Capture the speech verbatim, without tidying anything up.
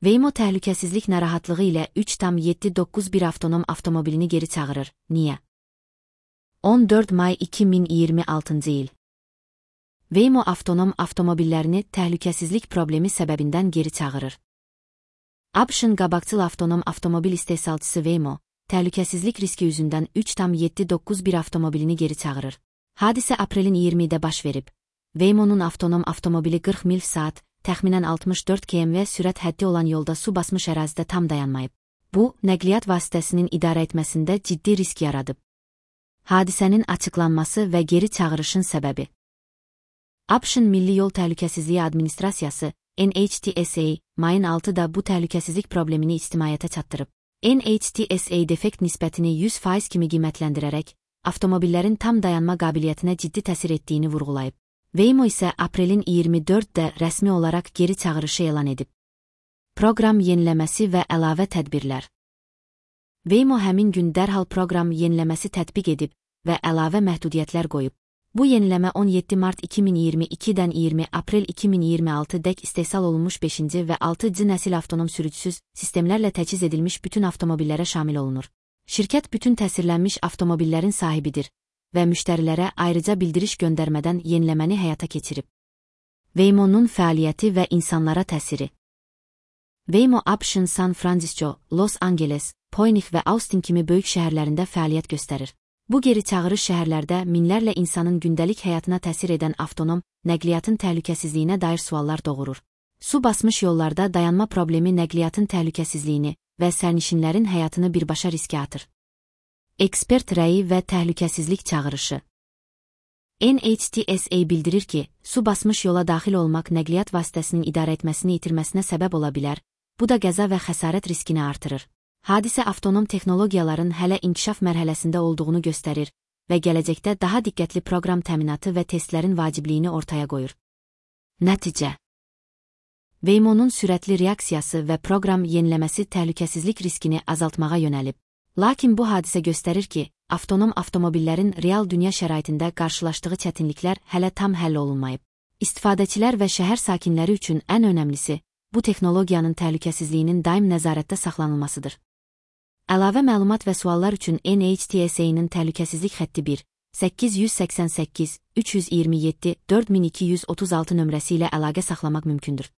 Waymo təhlükəsizlik narahatlığı ilə üç tam yeddi doqquz bir avtonom avtomobilini geri çağırır. Niyə? on dörd may iki min iyirmi altıncı il. Waymo avtonom avtomobillərini təhlükəsizlik problemi səbəbindən geri çağırır. ABŞ-ın qabaqcıl avtonom avtomobil istehsalçısı Waymo, təhlükəsizlik riski yüzündən üç tam yeddi doqquz bir avtomobilini geri çağırır. Hadisə aprelin iyirmisində baş verib. Waymo'nun avtonom avtomobili qırx mil saat, təxminən altmış dörd kilometr sürət həddi olan yolda su basmış ərazidə tam dayanmayıb. Bu, nəqliyyat vasitəsinin idarə etməsində ciddi risk yaradıb. Hadisənin açıqlanması və geri çağırışın səbəbi. ABŞ-ın Milli Yol Təhlükəsizliyi Administrasiyası, N H T S A, mayın altıda bu təhlükəsizlik problemini ictimaiyyətə çatdırıb. N H T S A defekt nisbətini yüz faiz kimi qiymətləndirərək, avtomobillərin tam dayanma qabiliyyətinə ciddi təsir etdiyini vurğulayıb. Waymo isə aprelin iyirmi dördündə rəsmi olaraq geri çağırışı elan edib. Proqram yeniləməsi və əlavə tədbirlər. Waymo həmin gün dərhal proqram yeniləməsi tətbiq edib və əlavə məhdudiyyətlər qoyub. Bu yeniləmə on yeddi mart iki min iyirmi ikidən iyirmi aprel iki min iyirmi altıdək istehsal olunmuş beşinci və altıncı nəsil avtonom sürücüsüz sistemlərlə təchiz edilmiş bütün avtomobillərə şamil olunur. Şirkət bütün təsirlənmiş avtomobillərin sahibidir və müştərilərə ayrıca bildiriş göndərmədən yeniləməni həyata keçirib. Waymo'nun fəaliyyəti və insanlara təsiri. Waymo ABŞ-ın San Francisco, Los Angeles, Phoenix və Austin kimi böyük şəhərlərində fəaliyyət göstərir. Bu geri çağırış şəhərlərdə minlərlə insanın gündəlik həyatına təsir edən avtonom nəqliyyatın təhlükəsizliyinə dair suallar doğurur. Su basmış yollarda dayanma problemi nəqliyyatın təhlükəsizliyini və sərnişinlərin həyatını birbaşa riskə atır. Ekspert rəyi və təhlükəsizlik çağırışı. N H T S A bildirir ki, su basmış yola daxil olmaq nəqliyyat vasitəsinin idarə etməsini itirməsinə səbəb ola bilər, bu da qəza və xəsarət riskini artırır. Hadisə avtonom texnologiyaların hələ inkişaf mərhələsində olduğunu göstərir və gələcəkdə daha diqqətli proqram təminatı və testlərin vacibliyini ortaya qoyur. Nəticə. Waymo'nun sürətli reaksiyası və proqram yeniləməsi təhlükəsizlik riskini azaltmağa yönəlib. Lakin bu hadisə göstərir ki, avtonom avtomobillərin real dünya şəraitində qarşılaşdığı çətinliklər hələ tam həll olunmayıb. İstifadəçilər və şəhər sakinləri üçün ən önəmlisi, bu texnologiyanın təhlükəsizliyinin daim nəzarətdə saxlanılmasıdır. Əlavə məlumat və suallar üçün N H T S A-nın təhlükəsizlik xətti bir səkkiz yüz səksən səkkiz üç yüz iyirmi yeddi dörd min iki yüz otuz altı nömrəsi ilə əlaqə saxlamaq mümkündür.